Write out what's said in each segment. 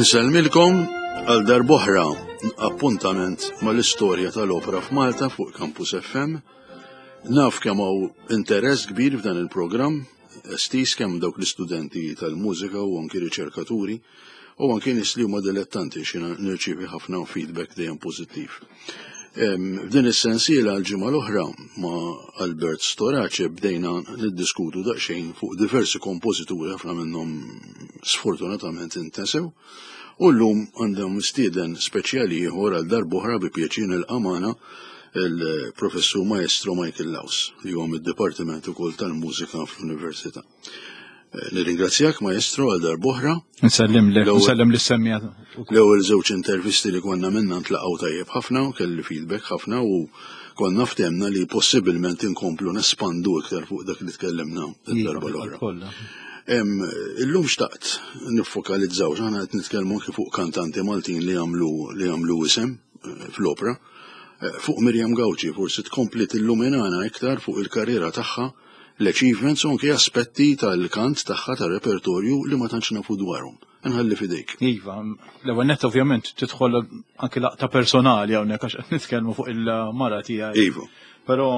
Insellmilkom għal darb'oħra appuntament mal-istorja tal-opera f'Malta fuq Campus FM. Naf kemm hawn interess kbir f'dan il-programm, estiż kemm dawk l-istudenti tal-mużika u anki riċerkaturi u anki nies li huma dilettanti xi nirċievi ħafna feedback dejjem pożittiv. F'din is-sensiela l-ġimgħa l-oħra ma' Albert Storace bdejna niddiskutu daqsxejn fuq diversi kompożituri ħafna minnhom sfortunatament intesew u llum għandhom mistieden speċjali ieħor għal darb'oħra bi pjaċir nilqa' magħna il-Professur Maestro Michael Laus li huwa mid-Dipartiment ukoll tal-Mużika fl-Università. Eh, nirringrazzjak maestro għal darb'oħra. Nsellim li, nsellem li semmija. L-ewwel żewġ intervisti li konna minna ntlaqgħu tajjeb ħafna u kelli feedback ħafna u konna ftemna li possibilment inkomplu nespandu iktar fuq dak li tkellimna id-darba l-oħra. Illum xtaqt niffokalizzaw, x'aħna qed nitkellmu anke fuq kantanti Maltin li għamlu li għamlu isem eh, fl-opra. Eh, fuq Miriam Gauci forsi tkompli tilluminana iktar fuq il-karriera tagħha l-achievements u anke aspetti tal-kant tagħha tar-repertorju li ma tantx nafu dwarhom. Nħalli fidejk. Iva, l-ewwel nett ovvjament tidħol anke laqta personali hawnhekk għax qed nitkellmu fuq il-mara tiegħi. Iva. Però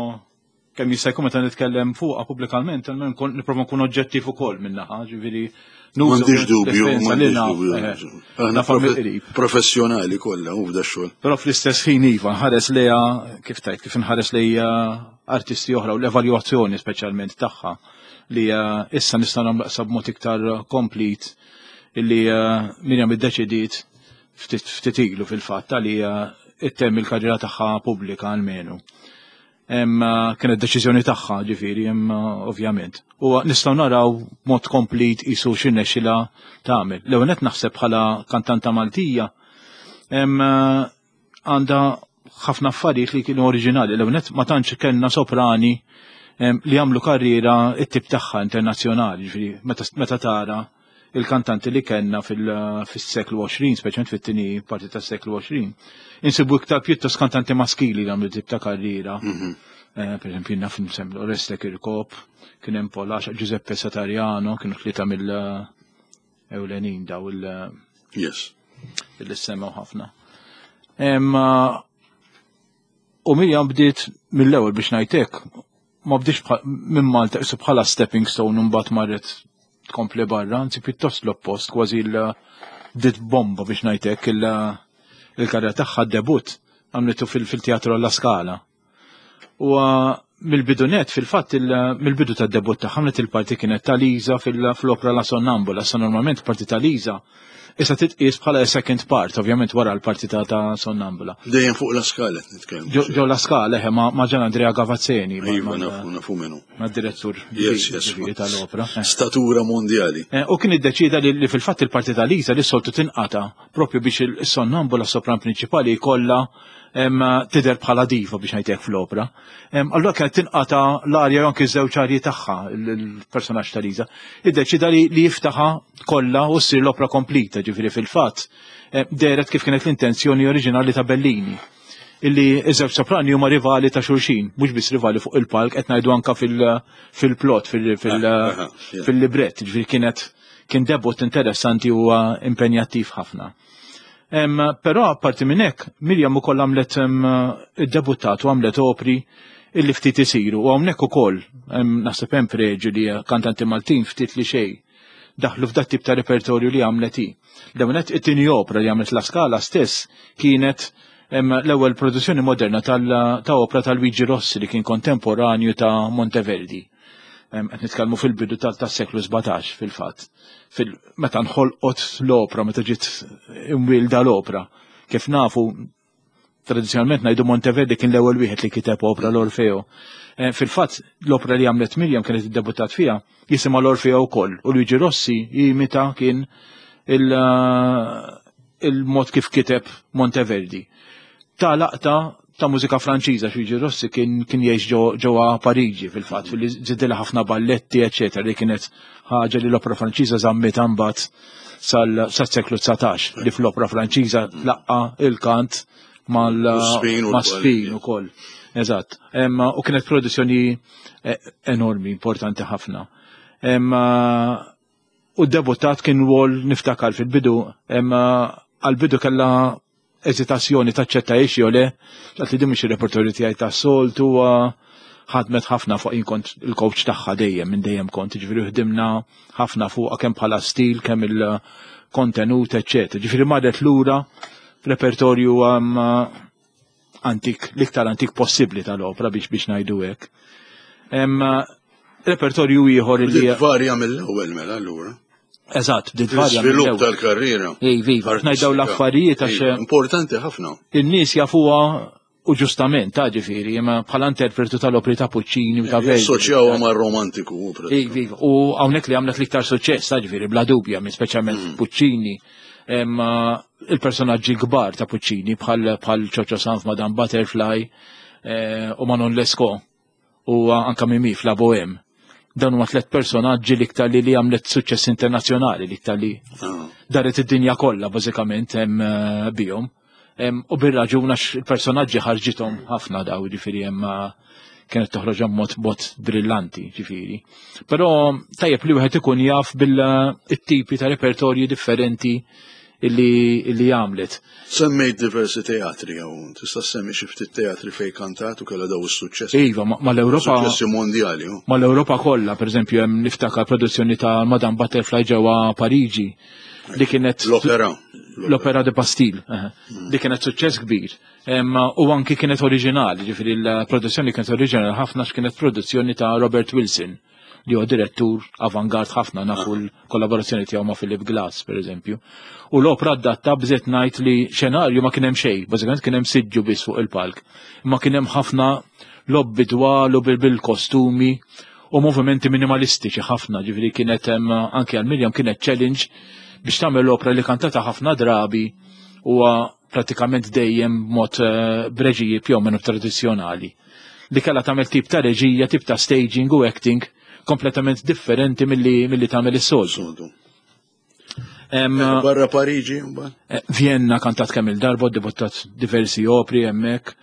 kemm jista' jkun meta nitkellem fuqha pubblikament, nipprova nkun oġġettiv ukoll min-naħa, ġifieri M'għandix dubju, m'għandix dubju. Eh, Aħna professjonali kollha u f'da xogħol. Però fl-istess ħin iva nħares lejha kif tajt kif nħares lejha artisti oħra u l-evalwazzjoni speċjalment tagħha li eh, issa nista' nagħmlu b'mod iktar komplit illi eh, Mirjam iddeċidiet ftit ilu fil-fatt li ittemm il-karriera tagħha pubblika almenu. Kienet deċiżjoni tagħha ġifieri, ovvjament. U nistgħu naraw mod komplit isu x'irnexxilha tagħmel. L-ewwel qed naħseb bħala kantanta Maltija għandha ħafna affarijiet li kienu oriġinali. L-ewwel ma tantx kellna soprani li għamlu karriera it-tip tagħha internazzjonali, ġifieri meta tara il-kantanti li kellna fis-seklu 20, speċjalment fit-tieni parti tas-seklu 20, insibu iktar pjuttost kantanti maskili li għamlu tip ta' karriera. Mhm. Eh, per esempio, naf nsemlu Oreste Kirkop, kien hemm Polax, Giuseppe Satariano, kienu tlieta mill-ewlenin daw il- Yes. Il semmew ħafna. U Mirjam bdiet mill-ewwel biex ngħidlek, ma bdiex minn Malta isu bħala stepping stone u mbagħad marret tkompli barra, anzi pjuttost l-oppost, kważi l bdiet bomba biex ngħidlek il-karriera tagħha debut għamlitu fil-teatru alla Scala. U mill-bidu net, fil-fatt mill-bidu tad-debut tagħha għamlet il-parti kienet ta' Liza fl-opra La Sonnambula, sa normalment parti ta' Liza issa titqies bħala second part, ovvjament wara l-parti ta' ta' Sonnambula. Dejjem fuq la Scala qed nitkellmu. Ġo la Scala, eħe, ma' Gian Andrea Gavazzeni. Iva, nafu, nafu minnu. Ma' direttur tal-opra. Eh. Statura mondjali. Eh, u kien iddeċida li fil-fatt il-parti ta' Liza li soltu tinqata propju biex il-Sonnambula sopran prinċipali jkollha tidher bħala diva biex ngħidlek fl-opra. Allura kienet tinqata l-arja jew anki żewġ arji tagħha il-personaġġ ta' Liza. Iddeċida li jiftaħa kollha u ssir l-opra komplita, ġifieri fil-fatt dehret kif kienet l-intenzjoni oriġinali ta' Bellini illi iż-żewġ soprani huma rivali ta' xulxin, mhux biss rivali fuq il-palk, qed ngħidu anka fil-plot, fil-librett, ġifieri kienet kien debut interessanti u impenjattiv ħafna. Però apparti minn hekk, Mirjam ukoll għamlet iddebuttat u għamlet opri illi ftit isiru u hawnhekk ukoll naħseb hemm preġu li kantanti Maltin ftit li xejn daħlu f'dat tip ta' repertorju li għamlet hi. L-ewwel it-tieni opra li għamlet La Scala stess kienet l-ewwel produzzjoni moderna ta' opra ta' Luigi Rossi li kien kontemporanju ta' Monteverdi. Qed nitkellmu fil-bidu tas-seklu 17 fil-fatt. Meta nħolqot l-opra, meta ġiet imwielda l-opra. Kif nafu, tradizzjonalment ngħidu Monteverdi kien l-ewwel wieħed li kiteb opra l-Orfeo. Eh, fil-fatt l-opra li għamlet Mirjam kienet iddebuttat fiha jisimha l-Orfeo wkoll u Luigi Rossi jimita kien eh, il-mod kif kiteb Monteverdi. Ta' laqta ta' mużika Franċiża Luigi Rossi kien kien jgħix ġewwa Pariġi fil-fatt fil żidilha ħafna balletti eċetera li kienet ħaġa li l-opra Franċiża żammet imbagħad sal-seklu 19 li fl-opra Franċiża tlaqqa il-kant mal-spin ukoll. Eżatt. U kienet produzzjoni eh, enormi, importanti ħafna. U debuttat kien rwol niftakar fil-bidu, għal-bidu kella eżitazzjoni taċċetta ix jew le, għat li din mhux ir-repertorju tiegħi tas-soltu ħadmet ħafna fuq jien kont il-coach tagħha dejjem minn dejjem kont, ġifieri ħdimna ħafna fuqha kemm bħala stil, kemm il-kontenut, eċċetera. Ġifieri marret lura repertorju antik, l-iktar antik possibbli tal-opra biex biex ngħidu hekk. Repertorju ieħor li varja mill-ewwel mela allura. Eżatt, bdiet varja. Żvilupp tal-karriera. Iva, iva, ngħidaw l-affarijiet għax. Importanti ħafna. In-nies jafuha u ġustament, ta' ġifieri, imma bħala interpretu tal-opri ta' Puccini u ta' Verdi. Assoċjawha mar-romantiku. Iva, iva, u hawnhekk li għamlet l-iktar suċċess, ta' ġifieri, bla dubja, minn speċjalment mm. Puccini. Imma il-personaġġi kbar ta' Puccini bħal bħal Ciocio Sanf, Madame Butterfly eh, u Manon Lescaut u anka Mimi f'La Bohème. Dawn huma tliet personaġġi l-iktar li li għamlet suċċess internazzjonali, l-iktar li ah. daret id-dinja kollha bażikament hemm eh, bihom. U bir-raġun għax il-personaġġi ħarġithom ħafna daw, ġifieri hemm eh, kienet toħroġ mod mod brillanti, ġifieri. Però tajjeb li wieħed ikun jaf bil-tipi ta' repertorji differenti illi, illi għamlet. Semmejt diversi teatri hawn, tista' semmi xi ftit teatri fejn kantat u kellha daw is-suċċessi. Iva, mal-Ewropa. Suċċessi mondjali. Mal-Ewropa kollha, pereżempju hemm niftakar produzzjoni ta' Madame Butterfly ġewwa Pariġi li kienet l-opera. L-opera de Bastille, mm. li kienet suċċess kbir. U anki kienet oriġinali, ġifieri l-produzzjoni kienet oriġinali ħafna x'kienet produzzjoni ta' Robert Wilson li huwa direttur avangard ħafna nafu ah. l-kollaborazzjoni tiegħu ma' Philip Glass pereżempju. U l-opra adatta bżet ngħid li xenarju ma kien hemm xejn, bażikament kien hemm siġġu biss fuq il-palk. Ma kien hemm ħafna lobby dwal u bil-kostumi u movimenti minimalistiċi ħafna, ġifieri kienet hemm anke għal Mirjam kienet challenge biex tagħmel l-opra li kantata ħafna drabi huwa pratikament dejjem mod eh, b'reġiji più o meno tradizzjonali li kellha tagħmel tip ta' reġija, tip ta' staging u acting kompletament differenti milli milli tagħmel is-soltu. Eh, barra Pariġi, mbagħad? Eh, Vienna kantat kemm il-darba, debuttat diversi opri hemmhekk.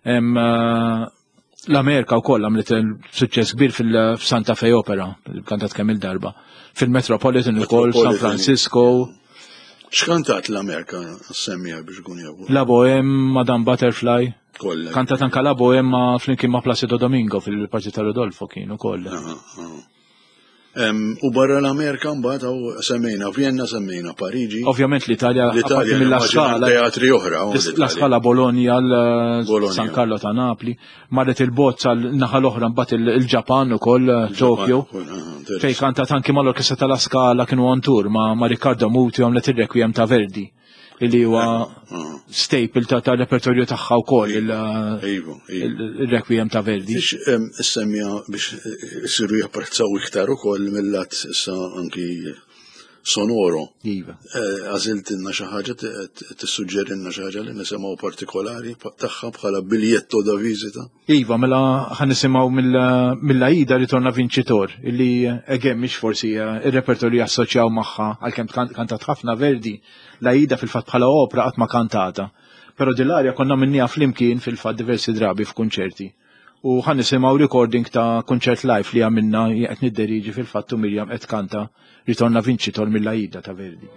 Eh, L-Amerika wkoll għamlet suċċess kbir fil-Santa Fe Opera, kantat kemm il-darba. Fil-Metropolitan ukoll, San Francisco. X'kantat l-Amerika semmija biex kun jafu? La Bohème, Madame Butterfly. Kollha. Kantat anka La Bohème ma' flimkien ma' Placido Domingo fil-parti ta' Rodolfo kien ukoll. U barra l-Amerika mbagħad hawn semmejna Vienna, semmejna Pariġi. Ovvjament l-Italja, l-Italja mill Scala. Teatri oħra. La Scala Bologna, San Carlo ta' Napli, marret il-bozz għal naħa l-oħra mbagħad il-Ġapan ukoll Tokyo. Fejn kantat anki mal-orkestra tal-La Scala kienu on tour ma' Riccardo Muti għamlet ir-Requiem ta' Verdi. li huwa staple ta' ta' repertorju tagħha wkoll il-Requiem ta' Verdi. Biex semmija biex isiru japprezzaw iktar ukoll mill-lat issa anki sonoro. Iva. Eh, għażiltilna xi ħaġa tissuġġerilna xi ħaġa li nisimgħu partikolari tagħha bħala biljetto da visita. Iva, mela ħan nisimgħu mill-Aida Ritorna Vincitor, illi again mhix forsi eh, ir-repertorju jassoċjaw magħha għalkemm kantat ħafna Verdi, l-Aida fil-fatt bħala opra qatt ma kantata. Però dil-arja konna minnija flimkien fil-fatt diversi drabi f'kunċerti. U ħan nisimgħu recording ta' kunċert live li għamilna qed nidderiġi fil-fatt u Mirjam qed kanta Ritorna Vincitor mill-Aida ta' Verdi.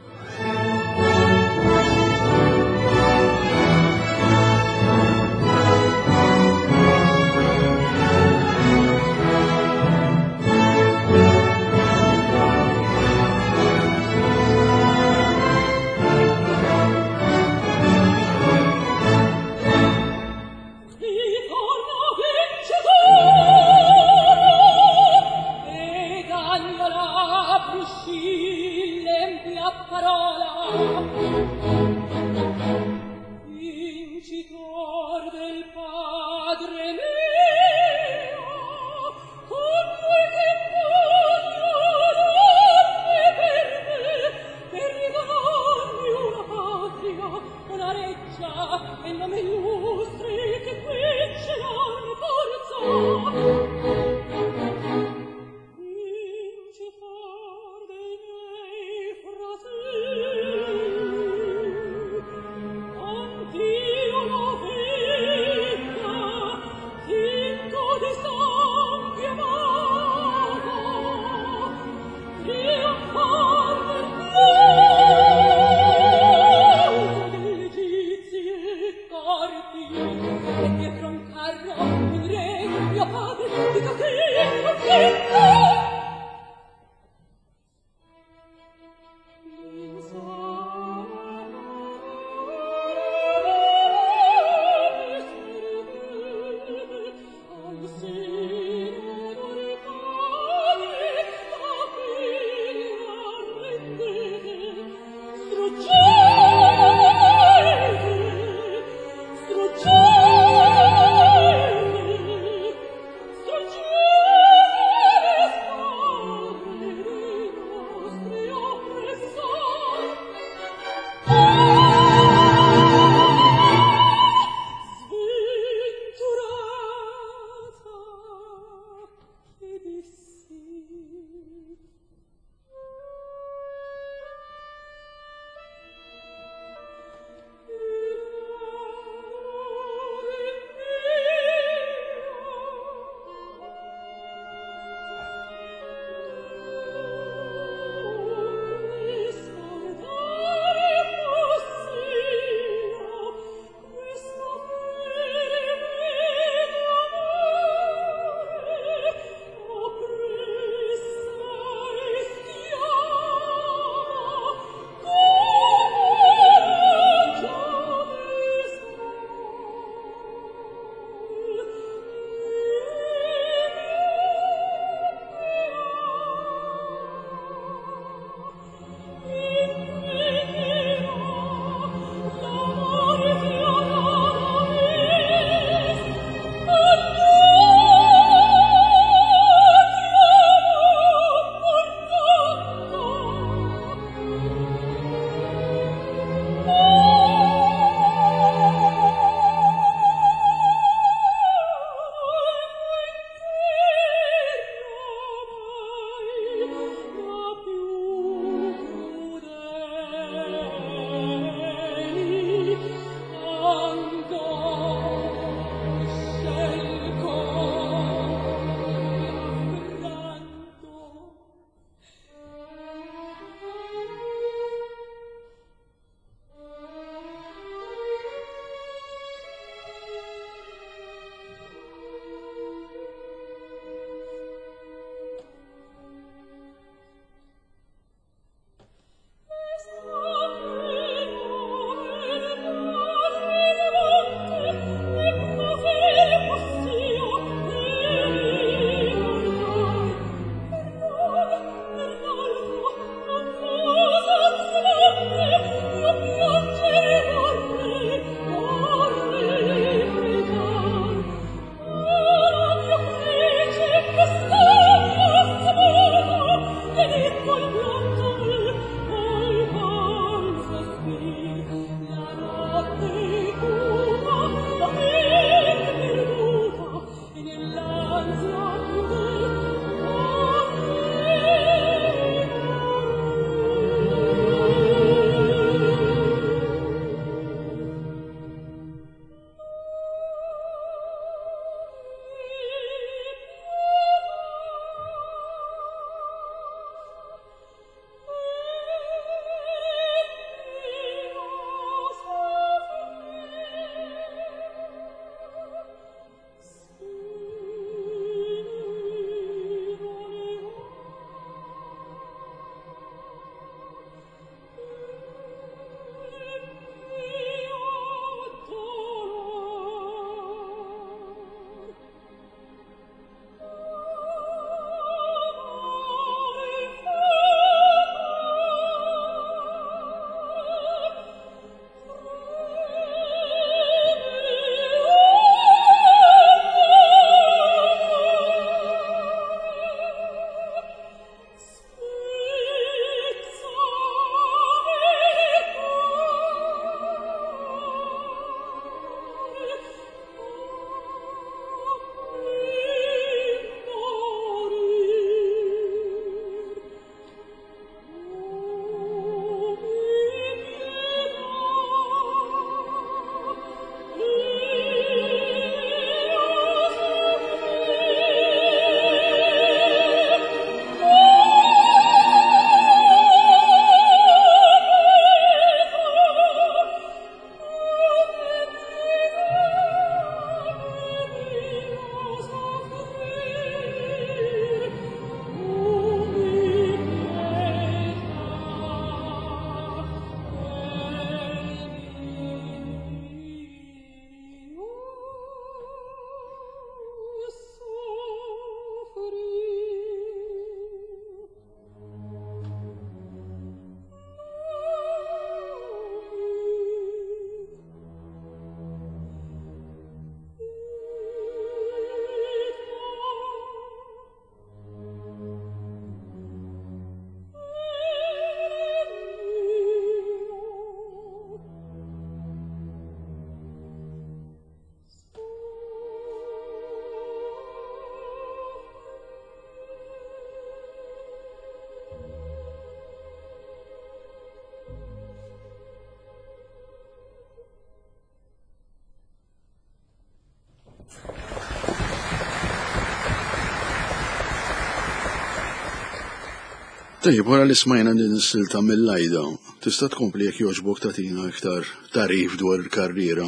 Tajjeb, wara li smajna din is-silta mill-Ajda, tista' tkompli jekk jogħġbok tagħtina iktar tagħrif dwar il-karriera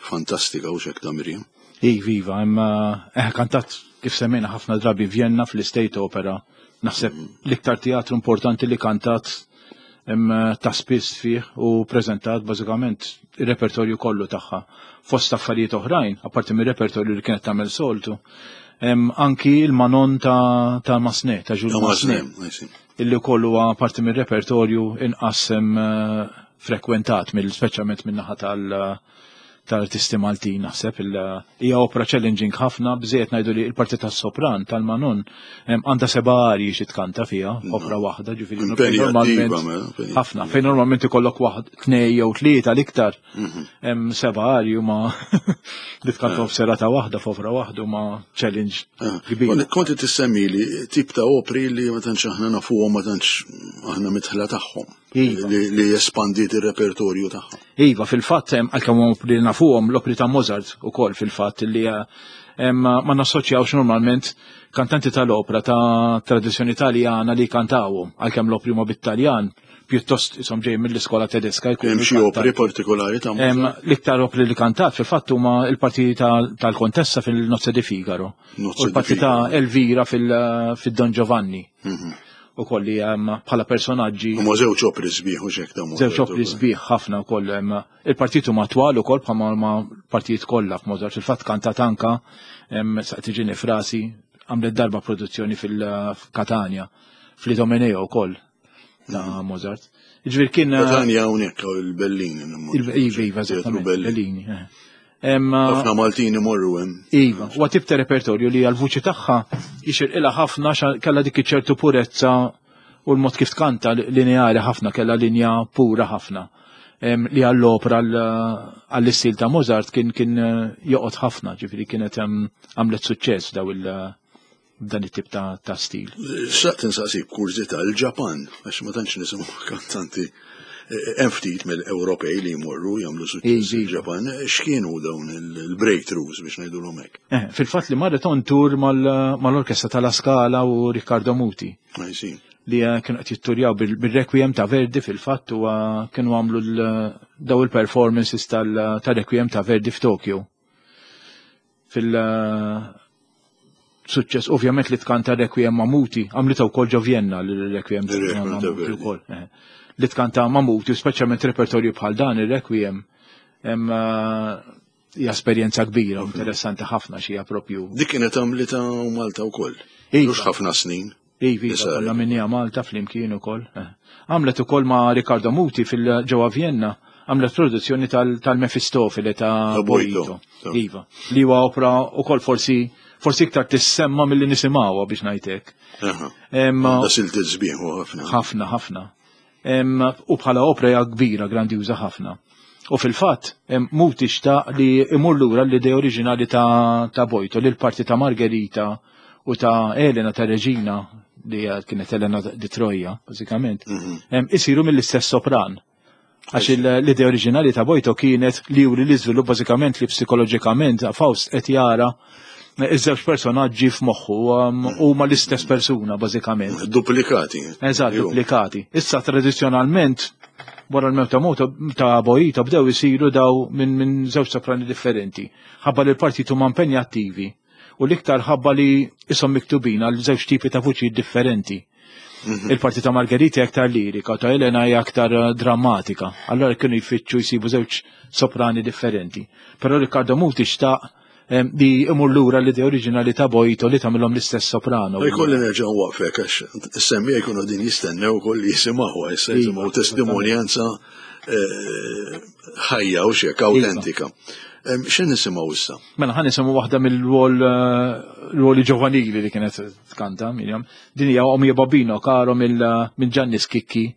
fantastika u xek ta' Miriam? Iva, iva, imma eh, kantat kif semmejna ħafna drabi Vienna fl-State Opera. Naħseb l-iktar teatru importanti li kantat ta' spiss fih u preżentat bażikament ir-repertorju kollu tagħha. Fost affarijiet oħrajn, apparti mir-repertorju li kienet tagħmel soltu, anki il-Manon ta', ta Masne, ta' Jules Masne, illi kollu huwa parti mir-repertorju inqas eh, frekwentat mill speċjalment min-naħa tal- tal-artisti Maltin naħseb hija opera challenging ħafna bżejjed ngħidu li l-parti tas-sopran tal-Manon għandha seba' arji xi tkanta fiha opera waħda ġifieri normalment mela, ħafna fejn normalment ikollok waħd tnej jew tlieta l-iktar mhm. seba' arji huma li tkantahom eh. f'serata waħda f'opera waħda huma challenge eh. kbir. Konti tissemmi li tip ta' opri li ma tantx aħna nafuhom ma tantx aħna mitħla tagħhom. Iva. Li espandiet ir-repertorju tagħha. Iva, fil-fatt għalkemm li nafuhom l-opri ta' Mozart ukoll fil-fatt li eh, ma nassoċjawx normalment kantanti tal-opra ta' tradizzjoni taljana li kantawhom għalkemm l-opri huma bit-Taljan pjuttost isom ġej mill-iskola tedeska jkun. Hemm xi opri partikolari ta' Mozart? L-iktar opri li kantat fil-fatt huma l-parti tal-Kontessa fil-Nozze di Figaro. U l-parti ta' Elvira fil-Don Giovanni. Mhm. U kolli bħala personaġġi. Huma żewġ opri sbieħ u xek ta' Żewġ opri sbieħ ħafna wkoll il-partitu ma twal ukoll bħalma ma partijiet kollha f'Mozart. Fil-fatt kantat anka saq tiġini frasi għamlet darba produzzjoni fil-Katania fl-Idomeneo wkoll ta' mhm. Mozart. Ġifier kien Katania hawnhekk il-Bellini. Iva, iva, Bellini. Eh. Ħafna Maltin imorru hemm. Iva, huwa tip ta' repertorju li għal-vuċi tagħha jixirqilha ħafna kellha dik iċ-ċertu purezza u l-mod kif tkanta lineari ħafna kellha linja pura ħafna li għall-opra għall-istil ta' Mozart kien kien eh, joqgħod ħafna, ġifieri kienet għamlet suċċess daw il- dan it-tip ta', ta stil. Xtaqt insaqsik kurżità l-Ġapan, għax ma tantx nisimgħu kantanti eh, hemm ftit mill-Ewropej li jmorru jagħmlu suċċess il-Ġapan, x'kienu dawn il-breakthroughs biex ngħidulhom hekk? Eh, fil-fatt li marret on tour mal-orkestra tal Scala u Riccardo Muti. Li eh, kienu qed jitturjaw bil-Requiem ta' Verdi fil-fatt u kienu għamlu daw il-performances tal-Requiem ta' Verdi f'Tokyo fil- suċċess ovvjament li tkanta Requiem ma' Muti, għamlita wkoll ġo Vienna l-Requiem ma' Muti wkoll. Eh. Li tkanta ma' Muti, speċjalment repertorju bħal dan ir-Requiem eh, hija esperjenza kbira, interessanti ħafna xi propju. Dik kienet għamlita Malta wkoll. Iva. Mhux ħafna snin. Iva, iva, kollha minnija Malta flimkien ukoll. Eh. Għamlet ukoll ma' Riccardo Muti fil-ġewwa Vienna, għamlet produzzjoni tal-Mefistofele ta' Boito. Iva, li huwa opra ukoll forsi forsi iktar tissemma milli nisimgħuha biex ngħidlek. Da silti sbieħ ħafna. Ħafna, ħafna. U bħala opra hija kbira, grandjuża ħafna. U fil-fatt, Muti xtaq li imur lura l-idea oriġinali ta', ta Bojto, li l-parti ta' Margherita u ta' Elena ta' Reġina, li kienet Elena di Troja, bażikament, mhm. isiru mill-istess sopran. Għax l-idea oriġinali ta' Bojto kienet li juri l-iżvilupp bażikament li psikoloġikament Faust qed jara iż-żewġ personaġġi f'moħħu um, huma l-istess persuna bażikament. Duplikati. Eżatt, duplikati. Issa tradizzjonalment wara l-mewt ta' Moto ta' Boito bdew isiru daw minn min żewġ soprani differenti. Ħabba li l-partit huma impenjattivi u l-iktar ħabba li isom miktubin għal żewġ tipi ta' vuċijiet differenti. Mhm. Il-parti ta' Margherita hija aktar lirika, ta' Elena hija aktar eh, drammatika. Allora kienu jfittxu jsibu żewġ soprani differenti. Però Riccardo Muti xtaq li imur lura l-idea oriġinali ta' Boito li tagħmilhom l-istess soprano. Jkolli nerġa' waqfek għax is-semmija jkunu din jistennew ukoll jisimgħu issa iva, jisimgħu testimonjanza eh, ħajja u xek iva. autentika. X'in nisimgħu issa? Mela ħan nisimgħu waħda mill-rwol eh, rwoli ġovanili li kienet tkanta Miriam. Din hija Omia Babino karo minn Gianni Schicchi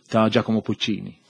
ta' Giacomo Puccini.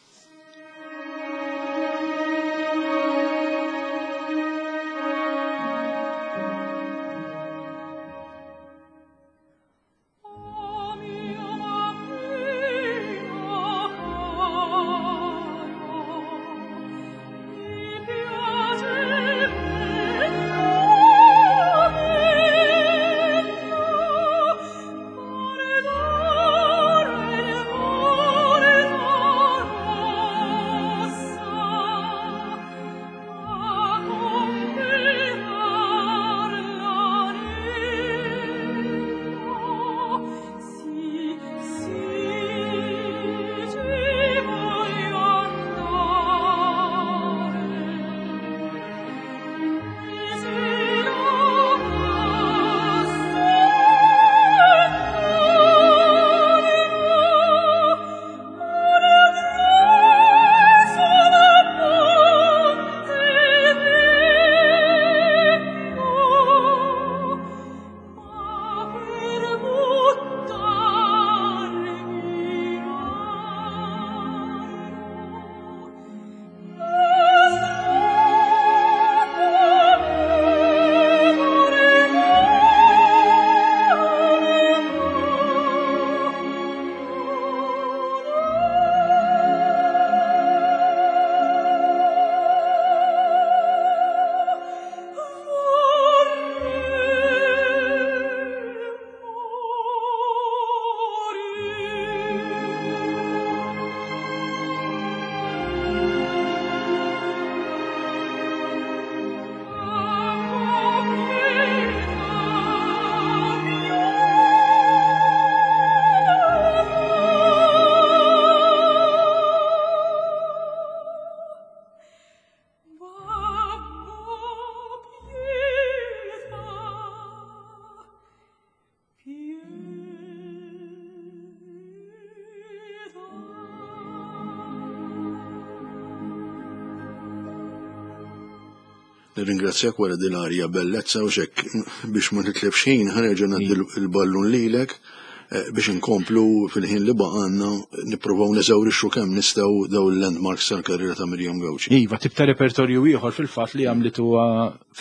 Nirringrazzjak wara din l-arja bellezza u xek biex ma nitlefx ħin ħa nerġa' ngħaddi l-ballun lilek eh, biex inkomplu fil-ħin li baqgħanna nippruvaw neżawrixxu kemm nistgħu daw il-landmarks tal-karriera ta' Miriam Gauci. Iva, tip ta' repertorju ieħor fil-fatt li għamlitu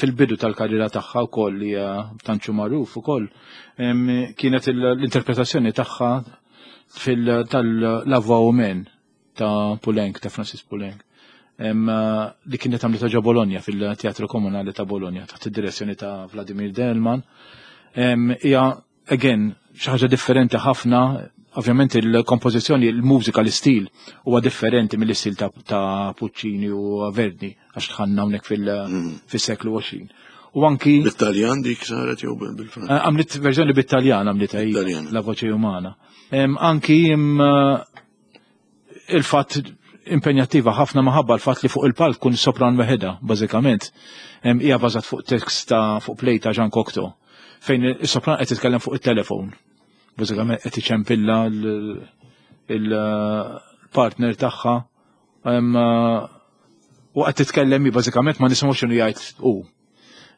fil-bidu tal-karriera tagħha wkoll li tantxu magħruf ukoll kienet l-interpretazzjoni tagħha fil-tal-La Voix Humaine ta' Poulenc, ta' Francis Poulenc, li kienet għamlita ġo Bologna fil-Teatru Komunali ta' Bologna taħt id-direzzjoni ta' Vladimir Delman. Hija again xi ħaġa differenti ħafna, ovvjament il-kompożizzjoni, il-mużika, l-istil huwa differenti mill-istil ta', ta Puccini u Verdi għax tħanna hawnhekk fil-seklu 20. U anki Bit-Taljan dik saret jew bil-Franċiż? Eh, għamlit verżjoni bit-Taljan għamlitha La Voce Umana. Anki il-fatt impenjattiva ħafna maħabba l-fatt li fuq il-palk kun sopran weħeda, bażikament. Hija bażat fuq tekst ta' fuq play ta' Jean Cocteau, fejn is-sopran qed titkellem fuq it-telefon. Bażikament qed iċempilla il-partner tagħha u qed titkellem bażikament ma nisimgħux x'inhu jgħid hu.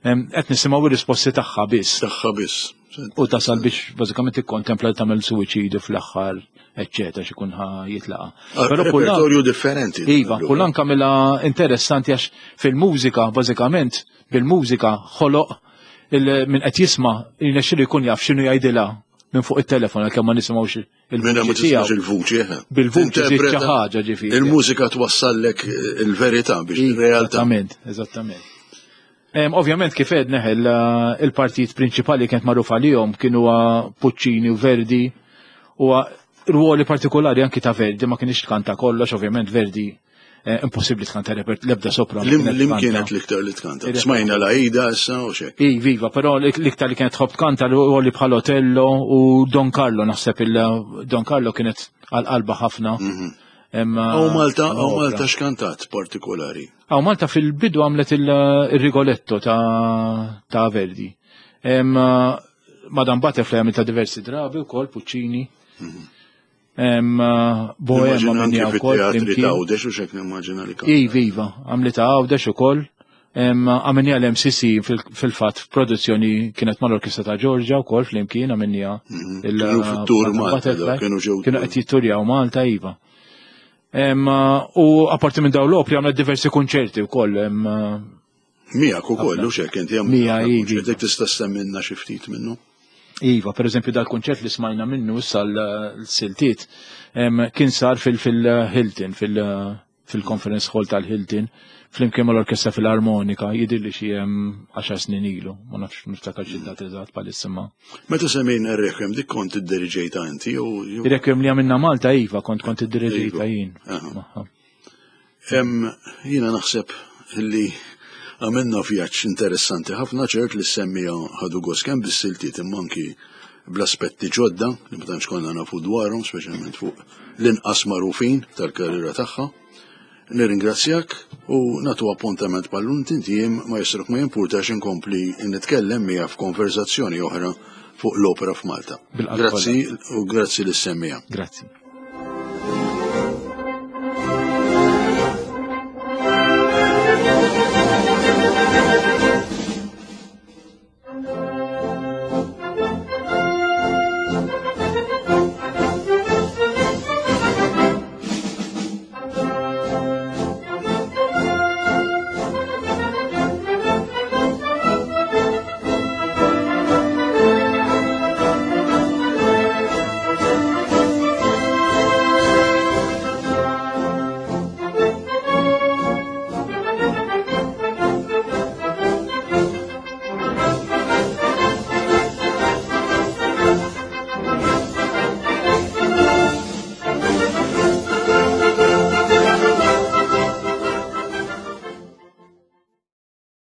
Qed nisimgħu ir-risposti tagħha biss. Tagħha biss. U tasal biex bażikament tikkontempla li tagħmel suwiċidju fl-aħħar, eċċetera, x'ikun ħa jitlaqa. Ah, Però repertorju differenti. Iva, kullan kamila interessanti għax fil-mużika bażikament bil-mużika ħoloq minn qed jisma' jirnexxilu jkun jaf x'inhu jgħidilha minn fuq it-telefon għalkemm ma nisimgħux Minna ma tismax il-vuċi, eh. Bil-vuċi xi ħaġa ġifieri. Il-mużika twassallek eh, il-verità biex il-realtà. Eżattament, eżattament. Ovvjament kif għedna eh, il-partijiet prinċipali kienet magħruf għalihom kienu Puccini u Verdi u ruoli partikolari anki ta' Verdi ma kienx tkanta kollox, ovvjament Verdi Eh, impossibbli tkanta repert l-ebda sopra. Lim kienet l-iktar li tkanta? Smajna la ida issa u xek. I, viva, però l-iktar li kienet tħobb tkanta li bħal Otello u Don Carlo, naħseb il-Don Carlo kienet għal-qalba ħafna. Mhm. Għaw Malta, għaw Malta xkantat partikolari. Għaw Malta fil-bidu għamlet il-Rigoletto ta' Verdi. Madam Butterfly għamilta diversi drabi u kol Puccini. Mhm. Bohema minni wkoll. Teatri ta' Għawdex u xek nimmaġina li kan. Iva, iva, għamli ta' Għawdex ukoll. Għamilni għal-MCC fil-fat produzzjoni kienet mal-Orkestra ta' Georgia u kol fl-imkien għamilnija. Mhm. Kienu fit-tur Malta, kienu ġew. Kienu qed jitturjaw Malta, iva. U apparti minn dawn l-opri għamlet diversi konċerti wkoll. Miegħek ukoll u xek inti hemm. Mija iva. Dik tista' semmilna xi ftit minnu. Iva, per eżempju dal-kunċert li smajna minnu issa l-siltiet kien sar fil-Hilton, fil-Conference Hall tal-Hilton, flimkien mal-Orkestra Filarmonika, jidhirli xi 10 snin ilu, ma nafx niftakar xi data eżatt bħalissa ma. Meta semmejna r-Requiem, dik kont idderiġejta inti jew? Ir-Requiem li għamilna Malta, iva, kont kont idderiġejta jien. Jiena naħseb li għamilna vjaġġ interessanti ħafna ċert li s-semmija ħadu gost kemm bis-siltiet imma anki bl-aspetti ġodda li ma tantx konna nafu dwarhom, speċjalment fuq l-inqas magħrufin tal-karriera tagħha. Nirringrazzjak u nagħtu appuntament bħal tintiem ma jisruk ma jimpurtax inkompli nitkellem miegħek f'konversazzjoni oħra fuq l-opera f'Malta. Grazzi u grazzi lis-semmija. Grazzi.